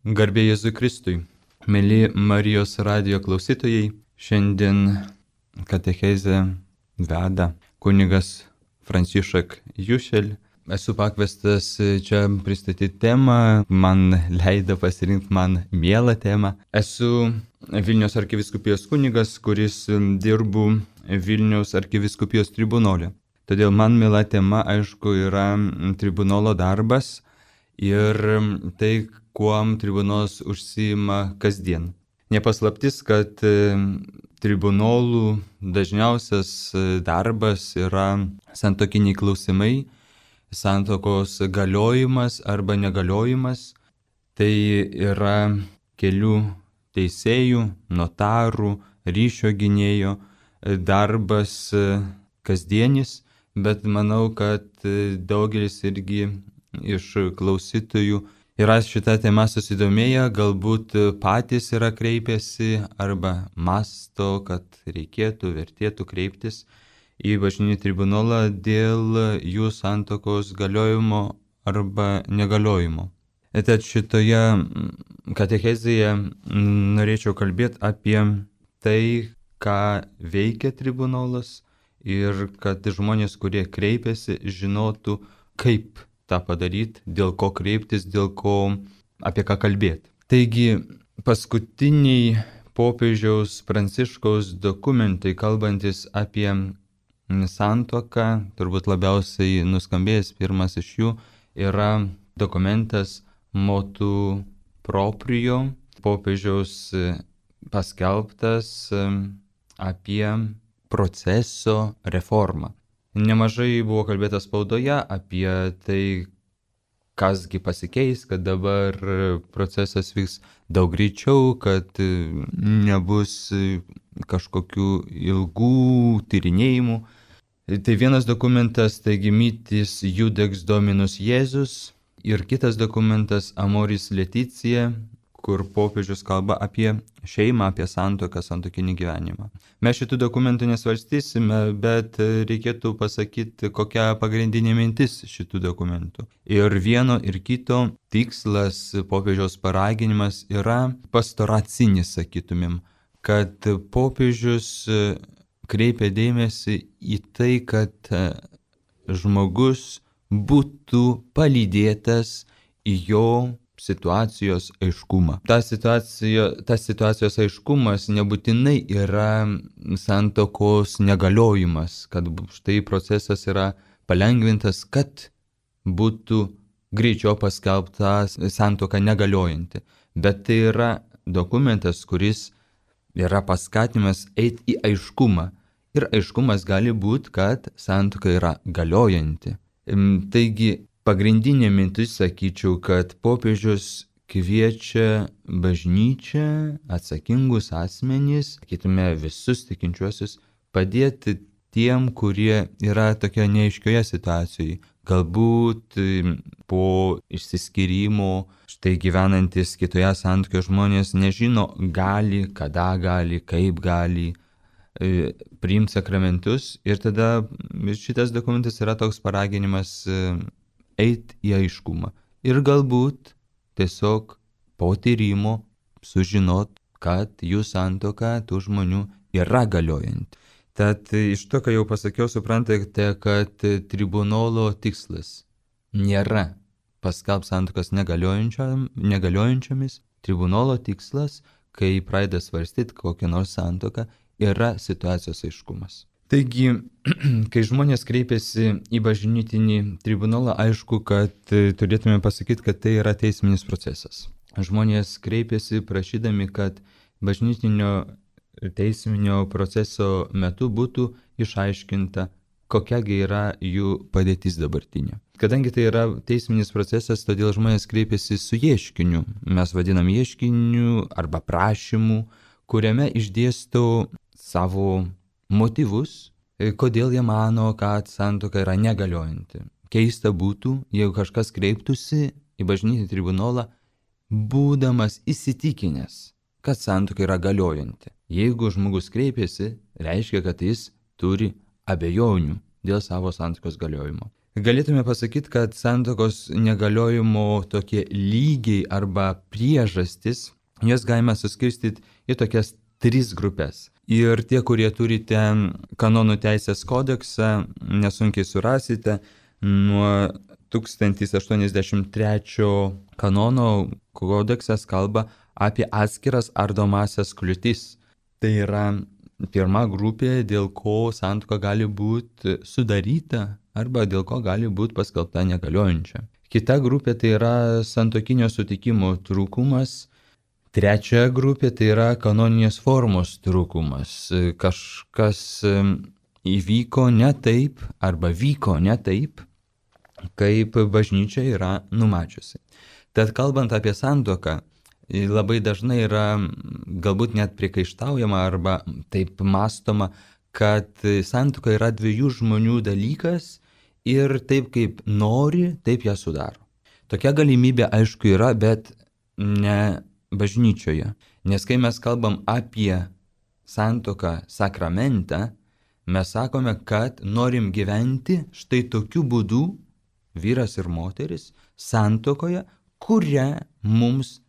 Garbė Jėzui Kristui. Mėly Marijos radijo klausytojai, šiandien katechezę veda kunigas Franciszek Jušel. Esu pakviestas čia pristatyti temą, man leido pasirinkti man mielą temą. Esu Vilniaus arkivyskupijos kunigas, kuris dirbu Vilniaus arkivyskupijos tribunole. Todėl man miela tema, aišku, yra tribunolo darbas ir tai, kuom tribunolas užsiima kasdien. Nepaslaptis, kad tribunolų dažniausias darbas yra santuokiniai klausimai, santuokos galiojimas arba negaliojimas. Tai yra kelių teisėjų, notarų, ryšio gynėjo darbas kasdienis, bet manau, kad daugelis irgi iš klausytojų yra šitą temą susidomėję, galbūt patys yra kreipęsi arba masto, kad vertėtų kreiptis į bažnytinį tribunolą dėl jų santuokos galiojimo arba negaliojimo. Tad šitoje katechezėje norėčiau kalbėti apie tai, ką veikia tribunolas ir kad žmonės, kurie kreipiasi, žinotų, kaip tą padaryti, dėl ko kreiptis, apie ką kalbėti. Taigi, paskutiniai popiežiaus Pranciškaus dokumentai, kalbantis apie santuoką, turbūt labiausiai nuskambėjęs pirmas iš jų, yra dokumentas Motu Proprio, popiežiaus paskelbtas apie proceso reformą. Nemažai buvo kalbėta spaudoje apie tai, kasgi pasikeis, kad dabar procesas vyks daug greičiau, kad nebus kažkokių ilgų tyrinėjimų. Tai vienas dokumentas, taigi Mitis Judex Dominus Jėzus, ir kitas dokumentas Amoris Laetitia, kur popiežius kalba apie šeimą, apie santuoką, santuokinį gyvenimą. Mes šitų dokumentų nesvarstysime, bet reikėtų pasakyti, kokia pagrindinė mintis šitų dokumentų. Ir vieno ir kito tikslas, popiežiaus paraginimas yra pastoracinis, sakytumėm, kad popiežius kreipia dėmesį į tai, kad žmogus būtų palydėtas į jo situacijos aiškumą. Tas situacijos aiškumas nebūtinai yra santuokos negaliojimas, kad štai procesas yra palengvintas, kad būtų greičiau paskelbta santuoka negaliojanti. Bet tai yra dokumentas, kuris yra paskatinimas eiti į aiškumą. Ir aiškumas gali būti, kad santuoka yra galiojanti. Taigi, pagrindinė mintis, sakyčiau, kad popiežius kviečia bažnyčią, atsakingus asmenys, sakytume visus tikinčiuosius, padėti tiem, kurie yra tokioje neaiškioje situacijoje. Galbūt po išsiskyrimo, štai gyvenantis kitoje santuokoje žmonės nežino, gali, kada gali, kaip gali priimti sakramentus. Ir tada šitas dokumentas yra toks paraginimas eiti į aiškumą. Ir galbūt tiesiog po tyrimo sužinot, kad jų santuoka tų žmonių yra galiojanti. Tad iš to, ką jau pasakiau, suprantate, kad tribunolo tikslas nėra paskelbti santuokas negaliojančiomis. Tribunolo tikslas, kai pradeda svarstyti kokią nors santuoką, yra situacijos aiškumas. Taigi, kai žmonės kreipiasi į bažnytinį tribunolą, aišku, kad turėtume pasakyti, kad tai yra teisminis procesas. Žmonės kreipiasi prašydami, kad bažnytinio teisminio proceso metu būtų išaiškinta, kokiagi yra jų padėtis dabartinė. Kadangi tai yra teisminis procesas, todėl žmonės kreipiasi su ieškiniu. Mes vadinam ieškiniu arba prašymu, kuriame išdėsto savo motyvus, kodėl jie mano, kad santuoka yra negaliojanti. Keista būtų, jeigu kažkas kreiptųsi į bažnytinį tribunolą, būdamas įsitikinęs, kad santuoka yra galiojanti. Jeigu žmogus kreipiasi, reiškia, kad jis turi abejonių dėl savo santuokos galiojimo. Galėtume pasakyti, kad santuokos negaliojimo tokie lygiai arba priežastis, jas galima suskirstyti į tokias 3 grupės. Ir tie, kurie turite kanonų teisės kodeksą, nesunkiai surasite, nuo 1083 kanono kodeksas kalba apie atskiras ardomasias kliūtis. Tai yra pirma grupė, dėl ko santuoka gali būti sudaryta arba dėl ko gali būti paskelbta negaliojančia. Kita grupė tai yra santuokinio sutikimo trūkumas. Trečia grupė tai yra kanoninės formos trūkumas. Kažkas įvyko ne taip arba vyko ne taip, kaip bažnyčia yra numačiusi. Tad kalbant apie santuoką, labai dažnai yra galbūt net priekaištaujama arba taip mąstoma, kad santuoka yra 2 žmonių dalykas ir taip kaip nori, taip ją sudaro. Tokia galimybė aišku yra, bet ne bažnyčioje. Nes kai mes kalbam apie santuoką sakramentą, mes sakome, kad norim gyventi štai tokiu būdu, vyras ir moteris, santuokoje, kurią mums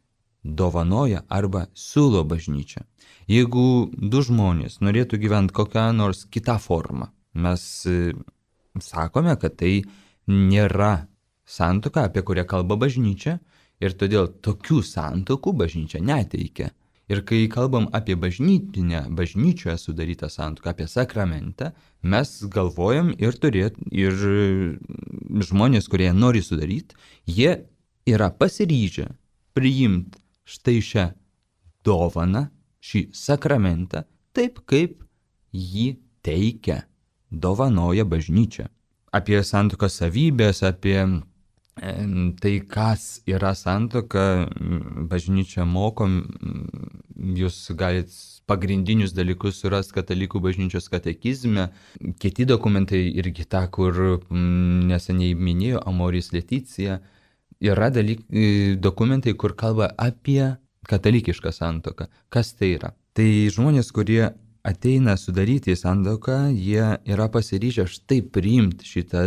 dovanoja arba siūlo bažnyčia. Jeigu 2 žmonės norėtų gyventi kokią nors kitą formą, mes sakome, kad tai nėra santuoka, apie kurią kalba bažnyčia, ir todėl tokių santuokų bažnyčia neteikia. Ir kai kalbam apie bažnyčioje sudarytą santuoką, apie sakramentą, mes galvojam ir žmonės, kurie nori sudaryti, jie yra pasiryžę priimti štai šią dovaną, šį sakramentą, taip kaip jį teikia, dovanoja bažnyčia. Apie santuokos savybės, apie tai, kas yra santuoka, bažnyčia moko, jūs galite pagrindinius dalykus surasti katalikų bažnyčios katekizme. Kiti dokumentai irgi tą, kur neseniai minėjo Amoris Leticija, yra dokumentai, kur kalba apie katalikišką santuoką. Kas tai yra? Tai žmonės, kurie ateina sudaryti santuoką, jie yra pasiryžę štai priimti šitą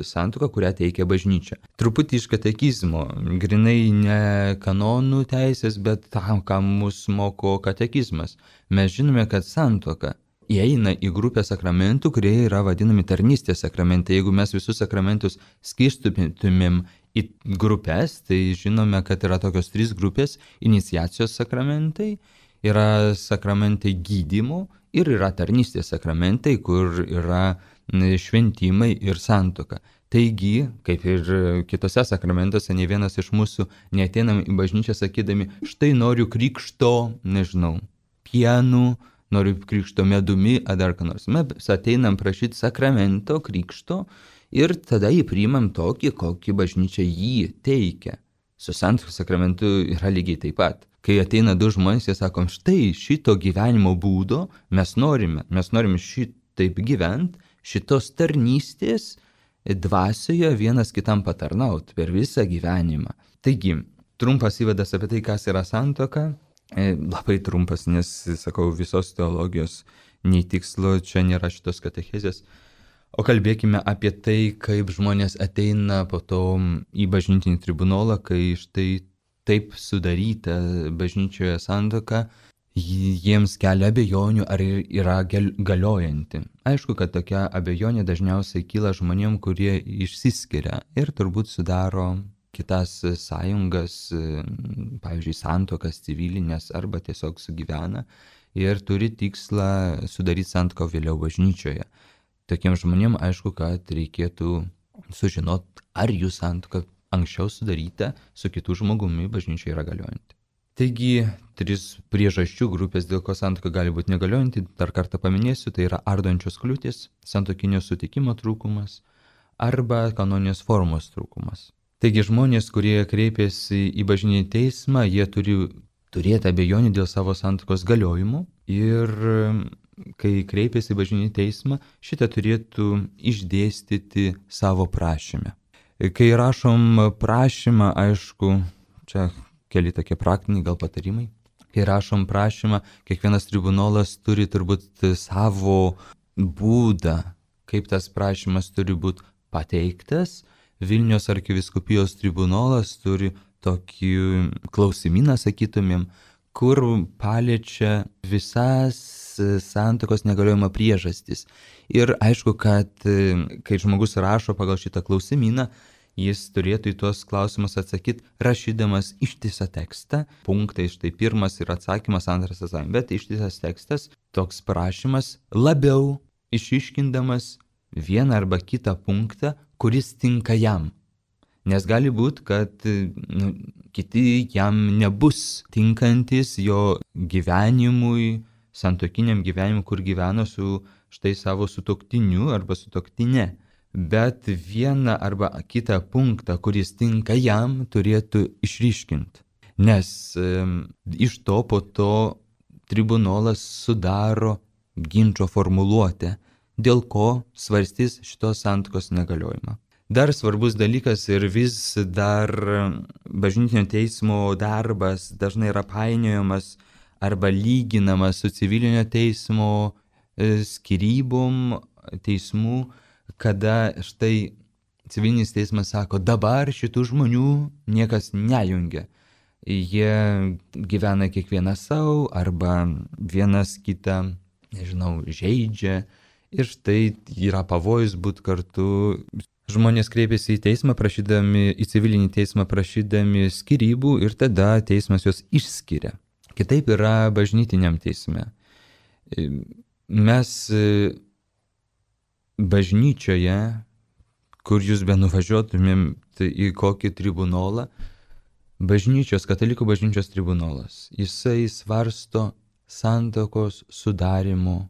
santuoką, kurią teikia bažnyčia. Truputį iš katekizmo, grinai ne kanonų teisės, bet tam, ką mus moko katekizmas. Mes žinome, kad santuoka įeina į grupę sakramentų, kurie yra vadinami tarnystės sakramentai. Jeigu mes visus sakramentus skirstytumėm į grupės, tai žinome, kad yra tokios 3 grupės: iniciacijos sakramentai, yra sakramentai gydymo ir yra tarnystės sakramentai, kur yra šventimai ir santuoka. Taigi, kaip ir kitose sakramentuose, ne vienas iš mūsų neateinam į bažnyčią sakydami, štai noriu krikšto, pienu, noriu krikšto medumi, ar dar ką nors. Mes ateinam prašyti sakramento, krikšto ir tada jį priimam tokį, kokį bažnyčia jį teikia. Su santuokos sakramentu yra lygiai taip pat. Kai ateina 2 žmonės, jie sakom, štai šito gyvenimo būdo mes norime šitaip gyventi, šitos tarnystės dvasioje vienas kitam patarnaut per visą gyvenimą. Taigi, trumpas įvadas apie tai, kas yra santuoka, labai trumpas, nes, sakau, visos teologijos nei tikslo, čia nėra šitos katechezės. O kalbėkime apie tai, kaip žmonės ateina po to į bažnytinį tribunolą, kai štai taip sudaryta bažnyčioje santuoka jiems kelia abejonių, ar yra galiojanti. Aišku, kad tokia abejonė dažniausiai kyla žmonėm, kurie išsiskiria ir turbūt sudaro kitas sąjungas, pavyzdžiui, santuokas civilinės arba tiesiog sugyvena ir turi tikslą sudaryti santuoką vėliau bažnyčioje. Tokiems žmonėm aišku, kad reikėtų sužinoti, ar jų santuoka anksčiau sudaryta su kitų žmogumi bažnyčioje yra galiojanti. Taigi, 3 priežasčių grupės, dėl ko santuoka gali būti negaliojanti, dar kartą paminėsiu, tai yra ardančios kliūtys, santuokinio sutikimo trūkumas arba kanoninės formos trūkumas. Taigi, žmonės, kurie kreipiasi į bažnytinį teismą, jie turi turėti abejonių dėl savo santuokos galiojimo ir kai kreipiasi į bažnytinį teismą, šitą turėtų išdėstyti savo prašyme. Kai rašom prašymą, aišku, čia keli tokie praktiniai gal patarimai. Kai rašom prašymą, kiekvienas tribunolas turi turbūt savo būdą, kaip tas prašymas turi būti pateiktas. Vilniaus arkivyskupijos tribunolas turi tokį klausimyną, sakytumėm, kur paliečia visas santuokos negaliojimo priežastis. Ir aišku, kad kai žmogus rašo pagal šitą klausimyną, jis turėtų į tuos klausimus atsakyti, rašydamas ištisą tekstą. Punktai, štai pirmas yra atsakymas, antras atsakymas, bet ištisas tekstas, toks prašymas, labiau išiškindamas vieną arba kitą punktą, kuris tinka jam. Nes gali būti, kad kiti jam nebus tinkantis jo gyvenimui, santuokiniam gyvenimui, kur gyveno su štai savo sutuoktiniu arba sutuoktinė. Bet vieną arba kitą punktą, kuris tinka jam, turėtų išryškinti. Nes iš to po to tribunolas sudaro ginčo formuluotę, dėl ko svarstys šitos santuokos negaliojimą. Dar svarbus dalykas ir vis dar bažnytinio teismo darbas dažnai yra painiojamas arba lyginamas su civilinio teismo skyrybom, teismų, kada štai civilinis teismas sako, dabar šitų žmonių niekas nejungia. Jie gyvena kiekvienas savo arba vienas kitą, žaidžia ir štai yra pavojus būti kartu. Žmonės kreipiasi į teismą į civilinį teismą prašydami skyrybų ir tada teismas juos išskiria. Kitaip yra bažnytiniam teisme. Mes bažnyčioje, kur jūs benuvažiuotumėm į kokį tribunolą, katalikų bažnyčios tribunolas, jisai svarsto santuokos sudarimo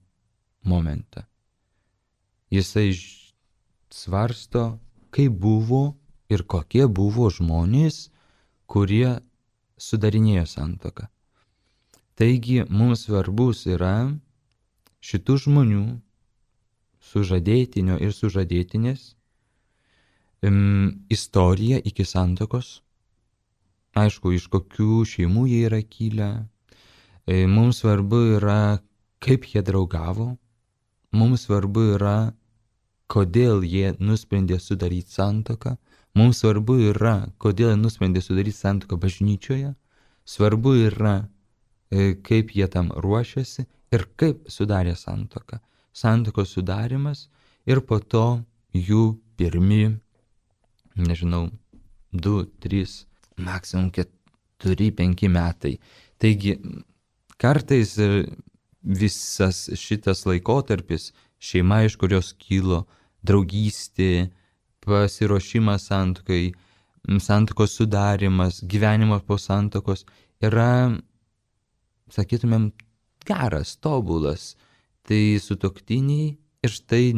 momentą. Jisai svarsto, kaip buvo ir kokie buvo žmonės, kurie sudarinėjo santuoką. Taigi mums svarbus yra šitų žmonių, sužadėtinio ir sužadėtinės, istorija iki santuokos. Aišku, iš kokių šeimų jie yra kilę. Mums svarbu yra, kaip jie draugavo. Mums svarbu yra, kodėl jie nusprendė sudaryti santuoką. Mums svarbu yra, kodėl jie nusprendė sudaryti santuoką bažnyčioje. Svarbu yra, kaip jie tam ruošiasi ir kaip sudarė santuoką. Santuokos sudarimas ir po to jų pirmi, 2, 3, maksimum 4, 5 metai. Taigi, kartais visas šitas laikotarpis, šeima, iš kurios kilo, draugystė, pasiruošimas santuokai, santuokos sudarimas, gyvenimas po santuokos yra, sakytumėm, geras, tobulas. Tai sutuoktiniai ir štai,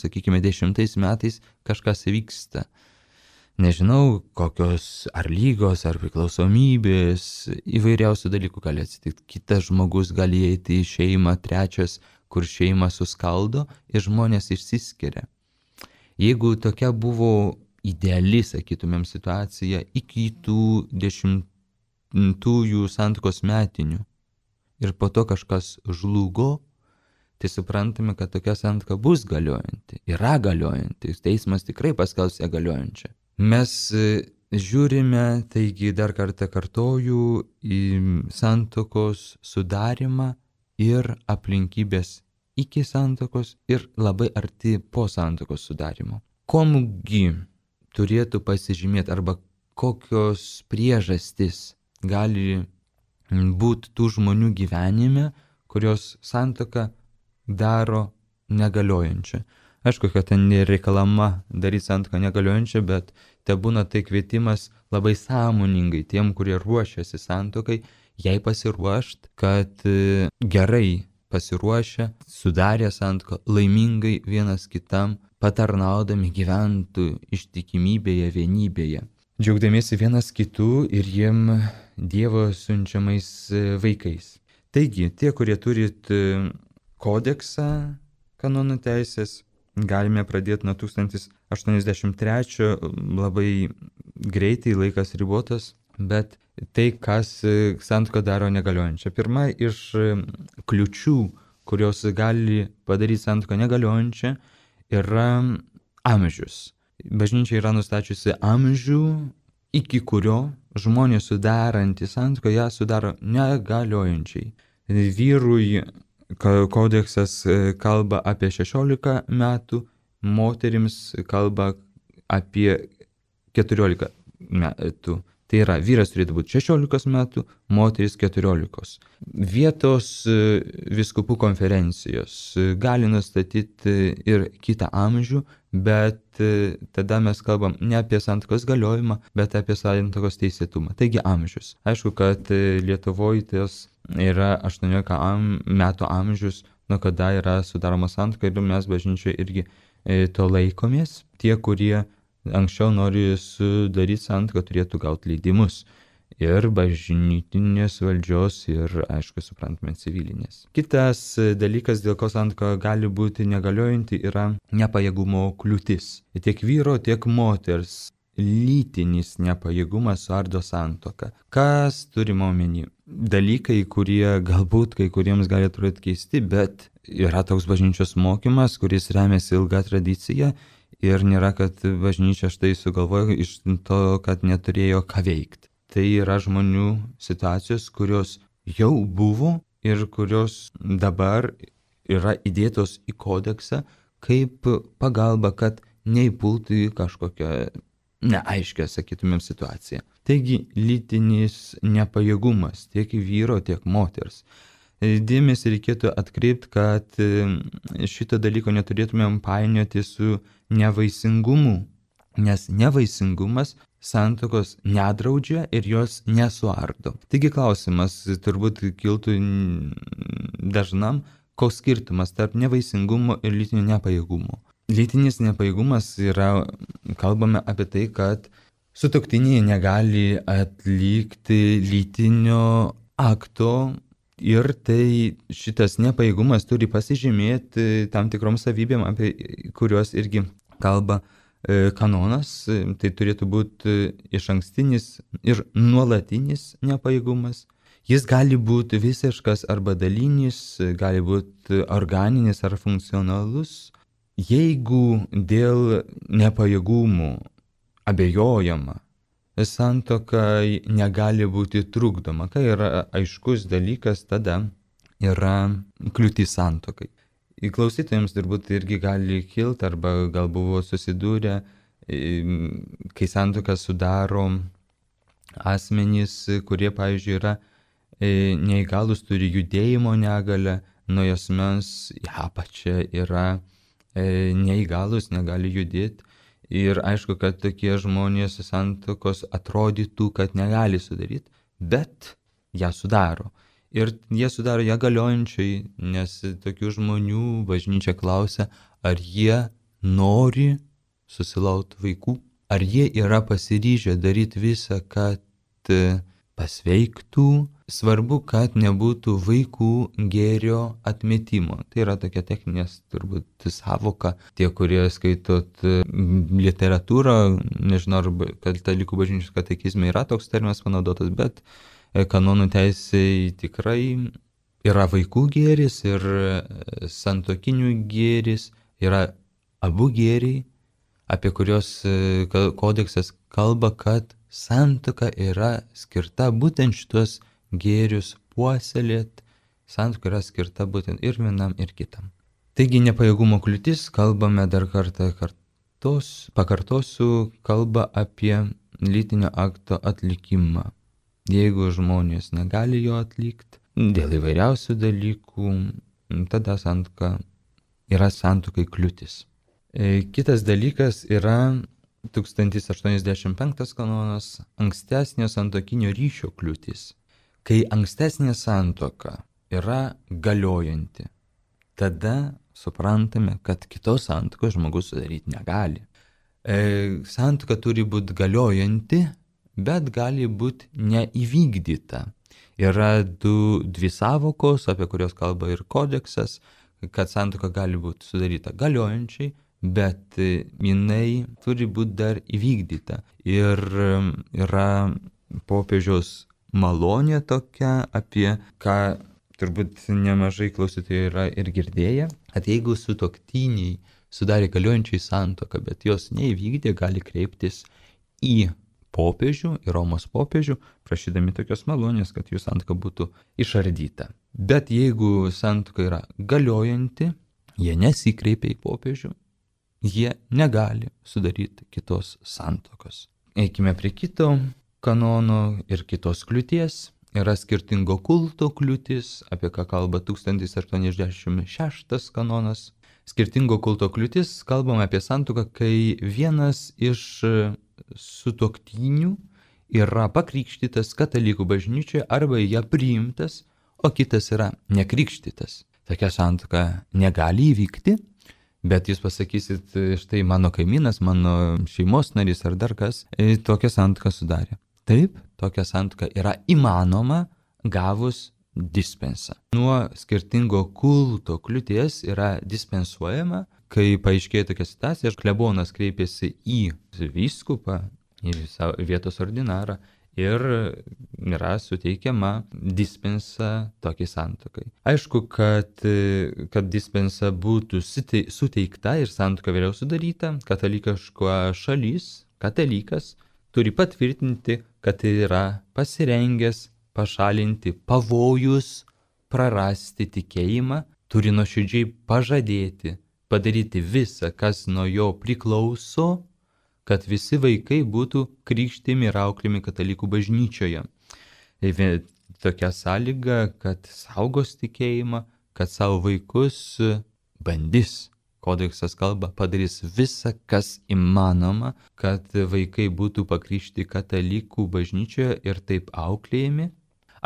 sakykime, 10 metais kažkas vyksta. Nežinau, kokios ar lygos, ar priklausomybės, įvairiausių dalykų gali atsitikti. Kitas žmogus gali eiti į šeimą, trečias, kur šeimą suskaldo ir žmonės išsiskiria. Jeigu tokia buvo ideali, sakytumėm, situacija iki tų 10-ųjų santuokos metinių ir po to kažkas žlugo, tai suprantame, kad tokia santuoka bus galiojanti, yra galiojanti, teismas tikrai paskelbs ją galiojančią. Mes žiūrime, taigi dar kartą kartoju, į santuokos sudarimą ir aplinkybės iki santuokos ir labai arti po santuokos sudarimo. Komgi turėtų pasižymėti arba kokios priežastys gali būti tų žmonių gyvenime, kurios santuoką daro negaliojančią. Aišku, kad ten nereikalama daryti santuoką negaliojančią, bet te būna tai kvietimas labai sąmoningai tiem, kurie ruošiasi santuokai, jai pasiruošti, kad gerai pasiruošę, sudarę santuoką, laimingai vienas kitam, patarnaudami gyventų ištikimybėje, vienybėje, džiaugdamiesi vienas kitų ir jiem Dievo siunčiamais vaikais. Taigi, tie, kurie turit kodeksą kanonų teisės, galime pradėti nuo 1083, labai greitai, laikas ribotas, bet tai, kas santuoką daro negaliojančią. Pirma iš kliučių, kurios gali padaryti santuoką negaliojančią, yra amžius. Bažnyčia yra nustačiusi amžių, iki kurio žmonės sudarantys santuoką ją sudaro negaliojančiai. Vyrui kodeksas kalba apie 16 metų, moterims kalba apie 14 metų. Tai yra, vyras turėtų būti 16 metų, moteris 14. Vietos vyskupų konferencijos gali nustatyti ir kitą amžių, bet tada mes kalbam ne apie santuokos galiojimą, bet apie santuokos teisėtumą. Taigi amžius. Aišku, kad Lietuvoje tas yra 18 metų amžius, nuo kada yra sudaroma santuoka, ir mes bažnyčioje irgi to laikomės. Tie, kurie anksčiau nori sudaryti santuoką, turėtų gauti leidimus ir bažnytinės valdžios, ir, aišku, suprantame, civilinės. Kitas dalykas, dėl ko santuoka gali būti negaliojanti, yra nepajėgumo kliūtis. Tiek vyro, tiek moters lytinis nepajėgumas suardo santuoką. Kas turima omeny? Dalykai, kurie galbūt kai kuriems gali atrodyti keisti, bet yra toks bažnyčios mokymas, kuris remiasi ilga tradicija. Ir nėra, kad bažnyčia štai sugalvojo iš to, kad neturėjo ką veikti. Tai yra žmonių situacijos, kurios jau buvo ir kurios dabar yra įdėtos į kodeksą kaip pagalba, kad neįpultų į kažkokią neaiškę, sakytumėm, situaciją. Taigi, lytinis nepajėgumas tiek vyro, tiek moters. Dėmesį reikėtų atkreipti, kad šito dalyko neturėtumėm painioti su nevaisingumu, nes nevaisingumas santuokos nedraudžia ir jos nesuardo. Taigi klausimas turbūt kiltų dažnam, koks skirtumas tarp nevaisingumo ir lytinio nepajėgumo. Lytinis nepajėgumas yra, kalbame apie tai, kad sutuoktiniai negali atlikti lytinio akto. Ir tai šitas nepajėgumas turi pasižymėti tam tikrom savybėm, apie kuriuos irgi kalba kanonas. Tai turėtų būti išankstinis ir nuolatinis nepajėgumas. Jis gali būti visiškas arba dalinis, gali būti organinis ar funkcionalus. Jeigu dėl nepajėgumų abejojama, santuoka negali būti trukdoma. Kai yra aiškus dalykas, tada yra kliūtis santuokai. Klausytojams turbūt irgi gali kilti, arba gal buvo susidūrę, kai santuoką sudaro asmenys, kurie, pavyzdžiui, yra neįgalus, turi judėjimo negalią, nuo asmens į apačią yra neįgalus, negali judėti. Ir aišku, kad tokie žmonės santuokos atrodytų, kad negali sudaryti, bet ją sudaro. Ir jie sudaro ją galiojančiai, nes tokių žmonių bažnyčia klausia, ar jie nori susilaukti vaikų, ar jie yra pasiryžę daryti visą, kad pasveiktų. Svarbu, kad nebūtų vaikų gėrio atmetimo. Tai yra tokia techninės turbūt savoka. Tie, kurie skaitot literatūrą, nežinau, ar katalikų bažnyčios katekizme yra toks terminas panaudotas, bet kanonų teisėje tikrai yra vaikų gėris ir santuokinių gėris, yra abu gėriai, apie kurios kodeksas kalba, kad santuoka yra skirta būtent šitos gėrius puoselėt, santuoka yra skirta būtent ir vienam, ir kitam. Taigi nepajėgumo kliūtis, kalbame dar kartą, pakartosiu, kalba apie lytinio akto atlikimą. Jeigu žmonės negali jo atlikti dėl įvairiausių dalykų, tada santuoka yra santuokai kliūtis. Kitas dalykas yra 1085 kanonas, ankstesnio santuokinio ryšio kliūtis. Kai ankstesnė santuoka yra galiojanti, tada suprantame, kad kitos santuokos žmogus sudaryti negali. Santuoka turi būti galiojanti, bet gali būti neįvykdyta. Yra dvi savokos, apie kurios kalba ir kodeksas, kad santuoka gali būti sudaryta galiojančiai, bet jinai turi būti dar įvykdyta. Ir yra popiežiaus malonė tokia, apie ką turbūt nemažai klausytojų yra ir girdėję, kad jeigu sutuoktiniai sudarė galiojančiai santuoką, bet jos neįvykdė, gali kreiptis į popiežių, į Romos popiežių, prašydami tokios malonės, kad jų santuoka būtų išardyta. Bet jeigu santuoka yra galiojanti, jie nesikreipia į popiežių, jie negali sudaryti kitos santuokos. Eikime prie kito kanono ir kitos kliūties. Yra skirtingo kulto kliūtis, apie ką kalba 1086 kanonas. Skirtingo kulto kliūtis, kalbam apie santuoką, kai vienas iš sutuoktinių yra pakrikštytas katalikų bažnyčioje arba ją priimtas, o kitas yra nekrikštytas. Tokia santuoka negali įvykti, bet jūs pasakysit, štai mano kaimynas, mano šeimos narys ar dar kas, tokią santuoką sudarė. Taip, tokia santuoka yra įmanoma gavus dispensą. Nuo skirtingo kulto kliūties yra dispensuojama, kai paaiškėja tokia situacija, klebonas kreipėsi į vyskupą, į vietos ordinarą ir yra suteikiama dispensa tokiai santuokai. Aišku, kad dispensa būtų suteikta ir santuoka vėliau sudaryta, katalikiška šalis, katalikas, turi patvirtinti, kad yra pasirengęs pašalinti pavojus, prarasti tikėjimą, turi nuoširdžiai pažadėti, padaryti visą, kas nuo jo priklauso, kad visi vaikai būtų krikštimi ir auklimi katalikų bažnyčioje. Tokia sąlyga, kad saugos tikėjimą, kad savo vaikus bandys. Kodeksas kalba, padarys visą, kas įmanoma, kad vaikai būtų pakrikštyti katalikų bažnyčioje ir taip auklėjami.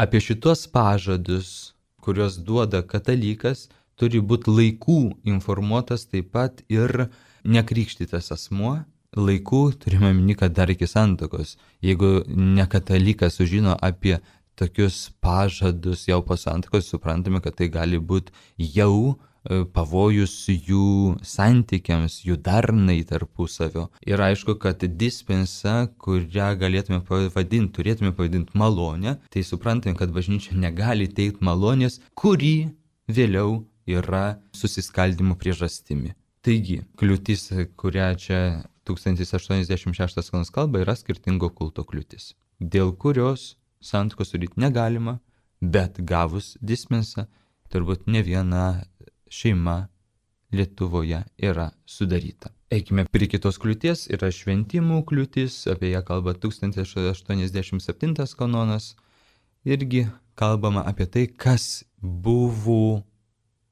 Apie šitos pažadus, kuriuos duoda katalikas, turi būti laikų informuotas taip pat ir nekrikštytas asmuo. Laikų turime minį, kad dar iki santuokos. Jeigu ne katalikas sužino apie tokius pažadus jau po santuokos, suprantame, kad tai gali būti jau pavojus jų santykiams, jų darnai tarpusavio. Ir aišku, kad dispensa, kurią turėtume pavadinti malonę, tai suprantame, kad bažnyčia negali teikti malonės, kuri vėliau yra susiskaldimo priežastimi. Taigi, kliūtis, kurią čia 1086 kanonas kalba, yra skirtingo kulto kliūtis, dėl kurios santuokos sudaryti negalima, bet gavus dispensą, turbūt ne viena šeima Lietuvoje yra sudaryta. Eikime prie kitos kliūties, yra šventimų kliūtis, apie ją kalba 1087 kanonas. Irgi kalbama apie tai, kas buvo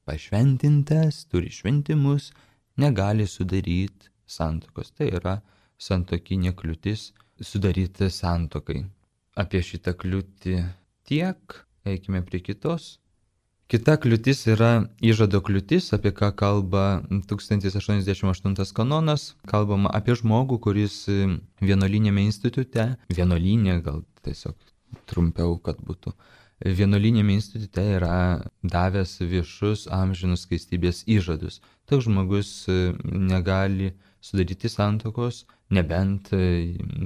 pašventintas, turi šventimus, negali sudaryti santuokos. Tai yra santuokinė kliūtis sudaryti santuokai. Apie šitą kliūtį tiek, eikime prie kitos. Kita kliūtis yra įžado kliūtis, apie ką kalba 1088 kanonas. Kalbama apie žmogų, kuris vienuolinėme institute, vienuolinė gal tiesiog trumpiau, kad būtų, vienuolinėme institute yra davęs viešus amžinus skaistybės įžadus. Toks žmogus negali sudaryti santuokos, nebent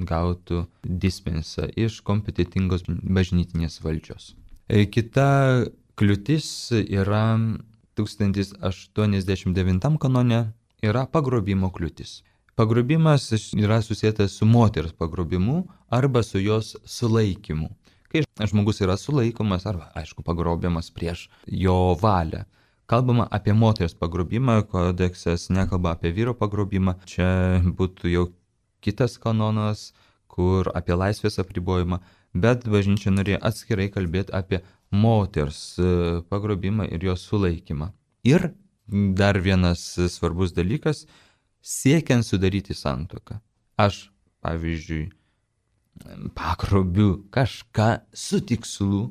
gautų dispensą iš kompetitingos bažnytinės valdžios. Kita kliūtis yra 1089 kanone, yra pagrobimo kliūtis. Pagrobimas yra susijęs su moters pagrobimu arba su jos sulaikymu. Kai žmogus yra sulaikomas arba, aišku, pagrobiamas prieš jo valią. Kalbama apie moters pagrobimą, kodeksas nekalba apie vyro pagrobimą. Čia būtų jau kitas kanonas, kur apie laisvės apribojimą, bet bažnyčia norėjo atskirai kalbėti apie moters pagrobimą ir jos sulaikymą. Ir dar vienas svarbus dalykas, siekiant sudaryti santuoką. Aš, pavyzdžiui, pagrobiu kažką su tikslu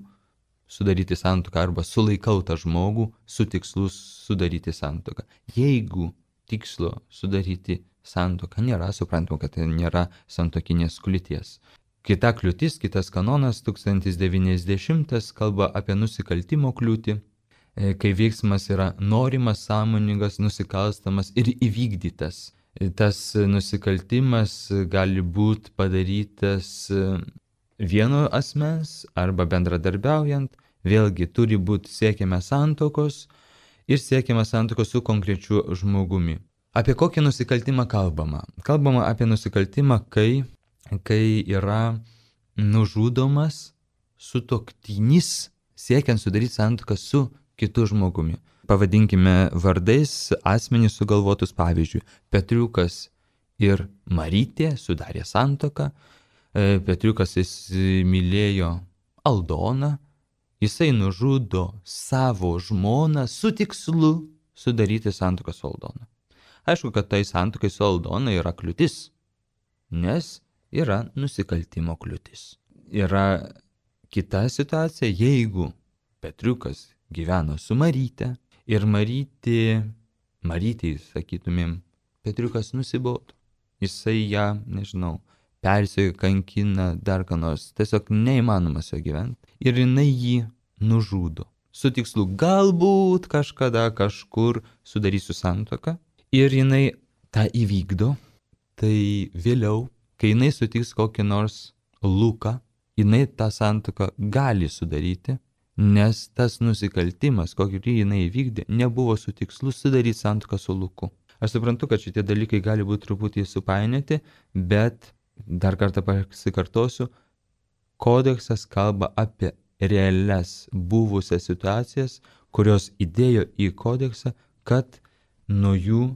sudaryti santuoką arba sulaikau tą žmogų su tikslu sudaryti santuoką. Jeigu tikslo sudaryti santuoką nėra, suprantama, kad tai nėra santuokinės kliūties. Kita kliūtis, kitas kanonas 1090 kalba apie nusikaltimo kliūtį, kai veiksmas yra norimas, sąmoningas, nusikalstamas ir įvykdytas. Tas nusikaltimas gali būti padarytas vieno asmens arba bendradarbiaujant, vėlgi turi būti siekiama santuokos ir siekiama santuokos su konkrečiu žmogumi. Apie kokį nusikaltimą kalbama? Kalbama apie nusikaltimą, kai yra nužudomas sutuoktinis siekiant sudaryti santuoką su kitu žmogumi. Pavadinkime vardais asmenys sugalvotus, pavyzdžiui, Petriukas ir Marytė sudarė santuoką, Petriukas įsimylėjo Aldoną, jisai nužudo savo žmoną su tikslu sudaryti santuoką su Aldona. Aišku, kad tai santuokai su Aldona yra kliūtis, nes yra nusikaltimo kliūtis. Yra kita situacija, jeigu Petriukas gyveno su Maryte ir Marytei, sakytumėm, Petriukas nusibodo. Jisai ją, persekioja, kankina, dar ką nors, tiesiog neįmanoma su juo gyventi. Ir jinai jį nužudo. Su tikslu galbūt kažkada kažkur sudarysiu santuoką. Ir jinai tą įvykdo. Tai vėliau, kai jinai sutiks kokį nors Luką, jinai tą santuoką gali sudaryti, nes tas nusikaltimas, kokį jinai įvykdė, nebuvo su tikslu sudaryti santuoką su Luku. Aš suprantu, kad šitie dalykai gali būti truputį supainioti, bet dar kartą pasikartosiu, kodeksas kalba apie realias buvusias situacijas, kurios įdėjo į kodeksą, kad nuo jų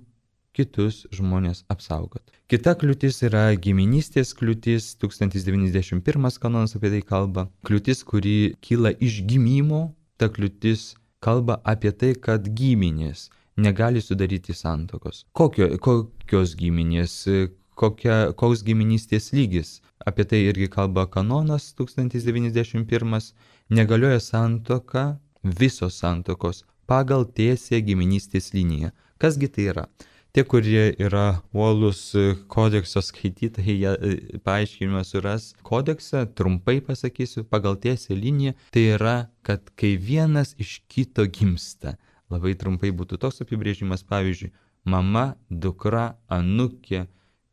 kitus žmonės apsaugot. Kita kliūtis yra giminystės kliūtis, 1091 kanonas apie tai kalba. Kliūtis, kuri kyla iš gimimo, ta kliūtis kalba apie tai, kad giminės negali sudaryti santuokos. Kokios giminės, koks giminystės lygis. Apie tai irgi kalba kanonas 1091. Negalioja santuoka, visos santuokos pagal tiesią giminystės liniją. Kasgi tai yra? Tie, kurie yra uolus kodekso skaitytojai, jie paaiškinimą suras kodeksą, trumpai pasakysiu, pagal tiesią liniją, tai yra, kad kai vienas iš kito gimsta, labai trumpai būtų toks apibrėžimas, pavyzdžiui, mama, dukra, anūkė,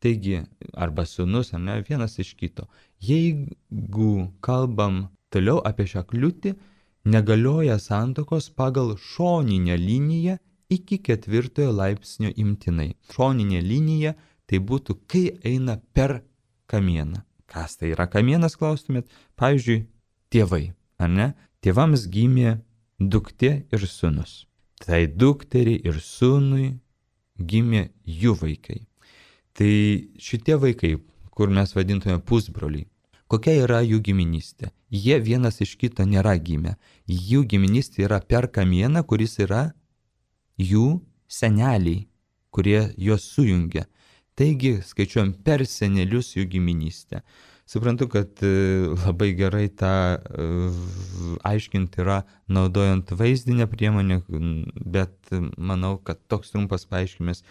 taigi, arba sūnus, vienas iš kito. Jeigu kalbam toliau apie šią kliūtį, negalioja santuokos pagal šoninę liniją iki 4 laipsnio imtinai. Šoninė linija tai būtų, kai eina per kamieną. Kas tai yra kamienas, klaustumėt? Pavyzdžiui, tėvai, ar ne? Tėvams gimė duktė ir sūnus. Tai dukteriai ir sūnui gimė jų vaikai. Tai šitie vaikai, kur mes vadintume pusbroliai, kokia yra jų giminystė? Jie vienas iš kito nėra gimę. Jų giminystė yra per kamieną, kuris yra jų seneliai, kurie juos sujungia. Taigi skaičiuojam per senelius jų giminystę. Suprantu, kad labai gerai tą aiškinti yra naudojant vaizdinę priemonę, bet manau, kad toks trumpas paaiškinimas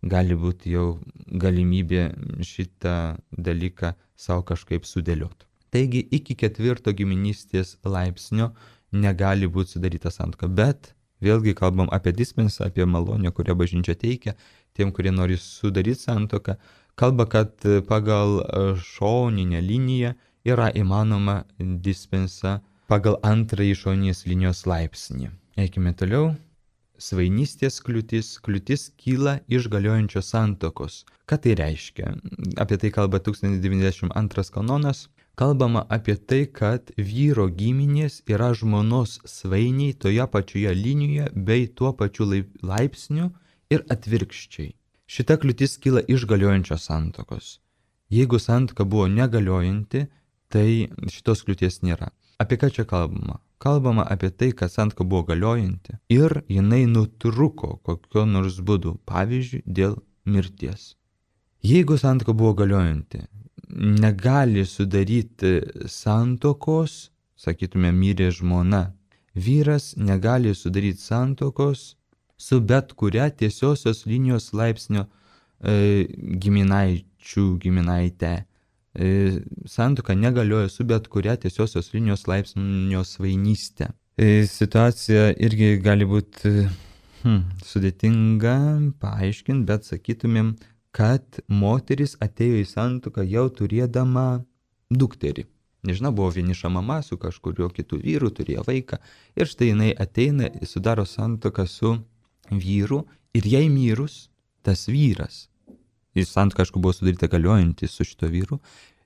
gali būti jau galimybė šitą dalyką savo kažkaip sudėlioti. Taigi iki 4 giminystės laipsnio negali būti sudaryta santuoka, bet vėlgi kalbam apie dispensą, apie malonę, kurią bažnyčia teikia tiem, kurie nori sudaryti santuoką. Kalba, kad pagal šoninę liniją yra įmanoma dispensa pagal antrąjį šoninės linijos laipsnį. Eikime toliau. Svainystės kliūtis. Kliūtis kyla iš galiojančios santuokos. Ką tai reiškia? Apie tai kalba 1092 kanonas. Kalbama apie tai, kad vyro giminės yra žmonos svainiai toje pačioje linijoje bei tuo pačiu laipsniu ir atvirkščiai. Šita kliūtis kyla iš galiojančios santuokos. Jeigu santuoka buvo negaliojanti, tai šitos kliūties nėra. Apie ką čia kalbama? Kalbama apie tai, kad santuoka buvo galiojanti ir jinai nutruko kokio nors būdu, pavyzdžiui, dėl mirties. Jeigu santuoka buvo galiojanti, negali sudaryti santuokos, sakytume, mirė žmona. Vyras negali sudaryti santuokos su bet kuria tiesiosios linijos laipsnio giminaite. Santuoka negalioja su bet kuria tiesiosios linijos laipsnio svainyste. Situacija irgi gali būti sudėtinga paaiškinti, bet sakytumėm, kad moteris atėjo į santuoką jau turėdama dukterį. Nežinau, buvo vieniša mama su kažkurio kitų vyrų, turėjo vaiką. Ir štai jinai ateina, sudaro santuoką su vyru ir jai mirus, tas vyras, jis santuoka, aišku, buvo sudaryta galiojanti su šito vyru,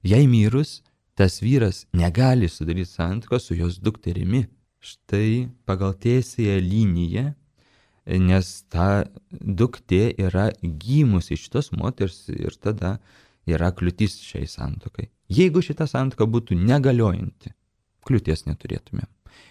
jai mirus, tas vyras negali sudaryti santuokos su jos dukterimi. Štai pagal tiesiąją liniją, nes ta duktė yra gimusi šitos moters ir tada yra kliūtis šiai santuokai. Jeigu šita santuoka būtų negaliojanti, kliūties neturėtumėm.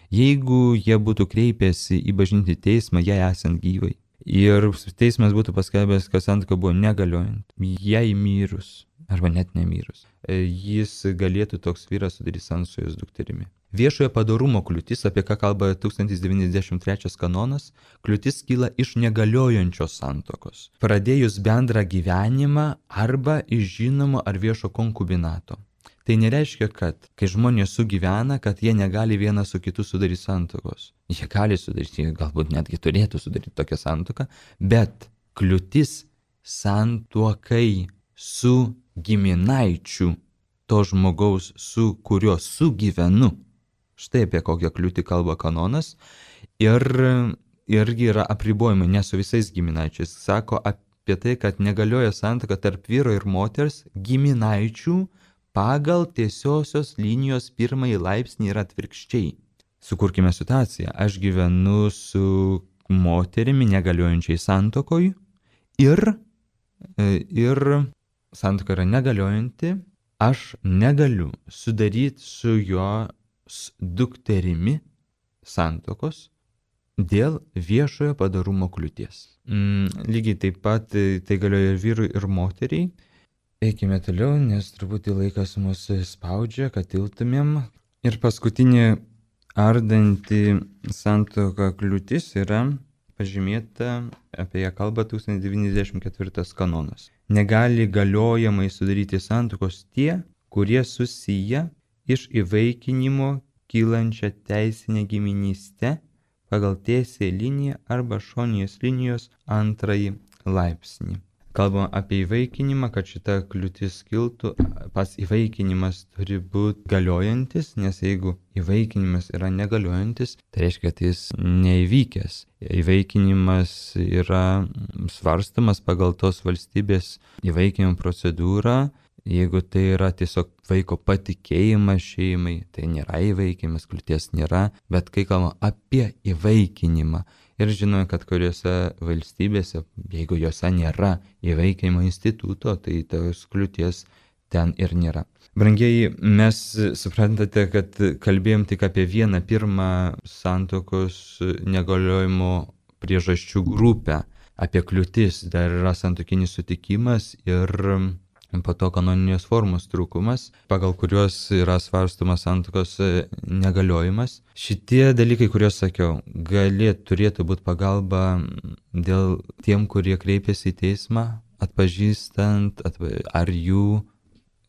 Jeigu jie būtų kreipęsi į bažnytinį teismą, jai esant gyvai, ir teismas būtų paskelbęs, kad santuoka buvo negaliojanti, jai mirus, arba net nemyrus, jis galėtų toks vyras sudaryti santuoką su jos dukterimi. Viešojo padorumo kliūtis, apie ką kalba 1093 kanonas, kliūtis kyla iš negaliojančios santuokos, pradėjus bendrą gyvenimą arba iš žinomo ar viešo konkubinato. Tai nereiškia, kad kai žmonės sugyvena, kad jie negali vienas su kitu sudaryti santuokos. Jie gali sudaryti, galbūt netgi turėtų sudaryti tokią santuoką, bet kliūtis santuokai su giminaičiu to žmogaus, su kuriuo sugyvenu. Štai apie kokią kliūtį kalba kanonas. Ir irgi yra apribojimai, ne su visais giminaičiais. Sako apie tai, kad negalioja santuoka tarp vyro ir moters giminaičių pagal tiesiosios linijos pirmąjį laipsnį ir atvirkščiai. Sukurkime situaciją. Aš gyvenu su moterimi negaliojančiai santuokoj ir santuoka yra negaliojanti. Aš negaliu sudaryti su jo dukterimi santuokos dėl viešojo padorumo kliūties. Lygiai taip pat tai galioja ir vyrui, ir moteriai. Eikime toliau, nes truputį laikas mūsų spaudžia, kad tiltumėm. Ir paskutinė ardanti santuoka kliūtis yra pažymėta, apie ją kalba 1094 kanonas. Negali galiojamai sudaryti santuokos tie, kurie susiję iš įvaikinimo kylančią teisinę giminystę pagal tiesiąją liniją arba šoninės linijos antrąjį laipsnį. Kalbam apie įvaikinimą, kad šita kliūtis kiltų, pats įvaikinimas turi būti galiojantis, nes jeigu įvaikinimas yra negaliojantis, tai reiškia, kad jis neįvykęs. Įvaikinimas yra svarstamas pagal tos valstybės įvaikinimo procedūrą. Jeigu tai yra tiesiog vaiko patikėjimas šeimai, tai nėra įvaikimas, kliūties nėra, bet kai kalbame apie įvaikinimą ir žinome, kad kuriuose valstybėse, jeigu juose nėra įvaikinimo instituto, tai tos kliūties ten ir nėra. Brangieji, mes suprantate, kad kalbėjom tik apie vieną pirmą santuokos negaliojimo priežasčių grupę, apie kliūtis, dar yra santuokinis sutikimas ir po to kanoninės formos trūkumas, pagal kuriuos yra svarstomas santuokos negaliojimas. Šitie dalykai, kuriuos sakiau, turėtų būti pagalba dėl tiem, kurie kreipiasi į teismą, atpažįstant, ar jų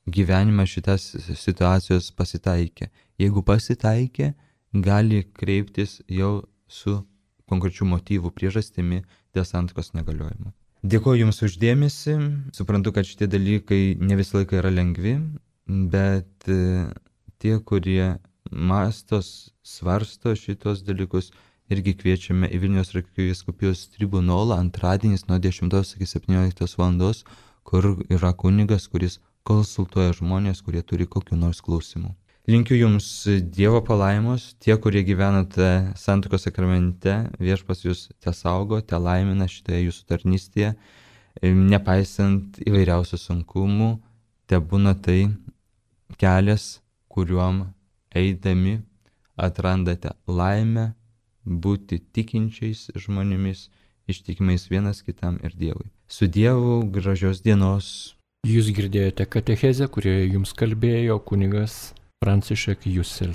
gyvenime šitas situacijos pasitaikė. Jeigu pasitaikė, gali kreiptis jau su konkrečių motyvų priežastimi dėl santuokos negaliojimo. Dėkuoju Jums uždėmesį, suprantu, kad šitie dalykai ne visą laiką yra lengvi, bet tie, kurie mastos, svarsto šitos dalykus, irgi kviečiame į Vilniaus arkivyskupijos tribunolą antradieniais nuo 10 iki 17 valandos, kur yra kunigas, kuris konsultuoja žmonės, kurie turi kokių nors klausimų. Linkiu Jums Dievo palaimos, tie, kurie gyvenate santuokos sakramente, Viešpats Jūs tesaugo, telaimina šitoje Jūsų tarnystėje, nepaisant įvairiausių sunkumų, tebūna tai kelias, kuriuom eidami atrandate laimę būti tikinčiais žmonėmis, ištikimais vienas kitam ir Dievui. Su Dievu, gražios dienos. Jūs girdėjote katechezę, kurioje jums kalbėjo kunigas Franciszek Jussel.